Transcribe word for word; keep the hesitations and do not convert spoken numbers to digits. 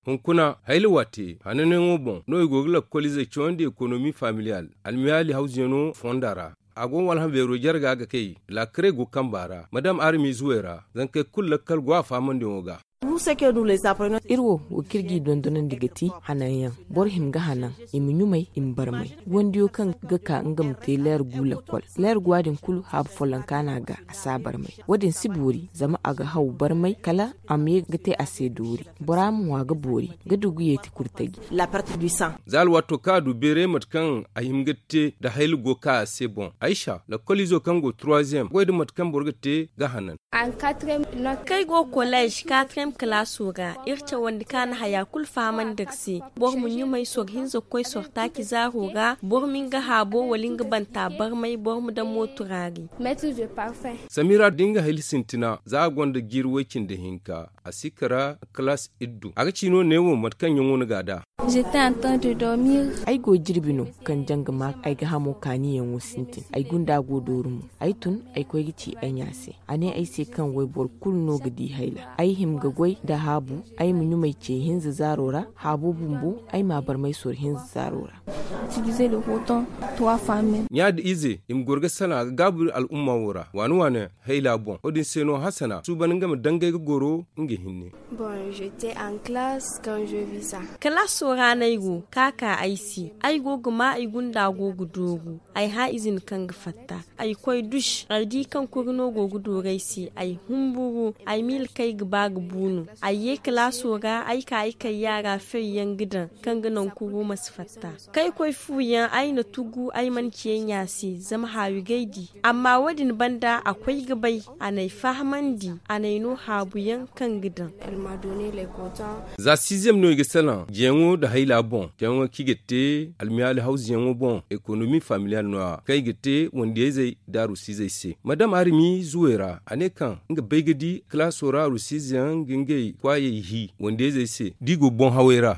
Hunkuna hayla waate hananyaŋo boŋ no i go ga lakkoliizey cawandi ekonomi familiyal almiyaali hawzuyaŋo fonda ra. A go walhã beero jarga ga kay laakaray go kamba ra madam armi zuwey ra. Zankey kulu lakkal go a faamandiyaŋo ga. Iri wo wo kaŋ iri g'i dondonandi ga ti hananyaŋ. Boro hima ga hanan, i ma ɲumay, i ma barmay. Wandiyo kaŋ ga ka nga ma te leer gu lakkol, leer guwa din kulu haabu follonka no a ga, a si a barmay. Wo- din si boori zama a ga haw barmay kala a ma ye ga te a se doori. Bora ma ŋwa ga boori ga du ga yeeti kurtaji. Za alwaato kaŋ a du beeray mate kaŋ a hima ga te nda hayla go ga ka a se boŋ, aysa lakkoliizo kaŋ go turwaziyem goy nda mate kaŋ boro ga te ga hanan. Kaŋ ay go koleez katriyem kalaaso ra, iri cawandi kaana haya kulu fahamandi iri se. Boro ma ɲumay soro hinza ga koy soro taaci zaaro ra. Boro ma nga haabo wala nga banta barmay boro ma daŋ mo turaari. Samira da nga hayla sintina za a gonda jiiri way cindi hinka, a si kara kalaas iddu a ga ci no neewo mate kaŋ ɲaŋo ni ga a da. Ay go jirbi no kaŋ janga ma ay ga hamo kaaniyaŋo sintin ay gunda go dooru mo. Ay tun ay koy ga ci ay ɲa se. A ne ay se kaŋ wayboro kulu no ga di hayla ay hima ga goy nda haabu. Ay ma ɲumay ce hinza zaaro ra haabo bumbo ay m'a barmay soro hinza zaaro ra. Ɲa da ize i ma goro ga salaŋ a ga gaabu al'umma wo ra waani waani hayla boŋ wo- din se no hasana suuban nga ma dangay ga goro nga hinne. Kalaaso ra no ay go ka ka ay se. Ay go ga ma ay gunda go ga dooru. Ay hã izin kaŋ ga fatta. Ay koy duš ay di kaŋ kuri no go ga dooru ay se. Ay humburu ay miila kaŋ ay ga ba ga bu no. Ay ye kalaaso ra ay ka ay kayyaara fayyaŋ ga daŋ kaŋ ga naŋ kuro ma si fatta. Kaŋ ay koy fu yaŋ ay na tugu ay mana ci ay ɲa se zama haawi ga ay di. Amma wo- din banda a koy ga bay a n'ay fahamandi a n'ay no haabu yaŋ kaŋ ga daŋ. Za siiziyem no i ga salaŋ jeyaŋo nda hayla boŋ jeyaŋo kaŋ i ga te almiyaali hawzuyaŋo boŋ ekonomi familiyal no- ya kaŋ i ga te wandiyayzey nda arusiizey se madam arimi zuwey ra a ne kaŋ nga bay ga di kalaaso ra arusiizeyaŋ ga ngey kwaayey hi wandiyayzey se da i go boŋ hawey ra.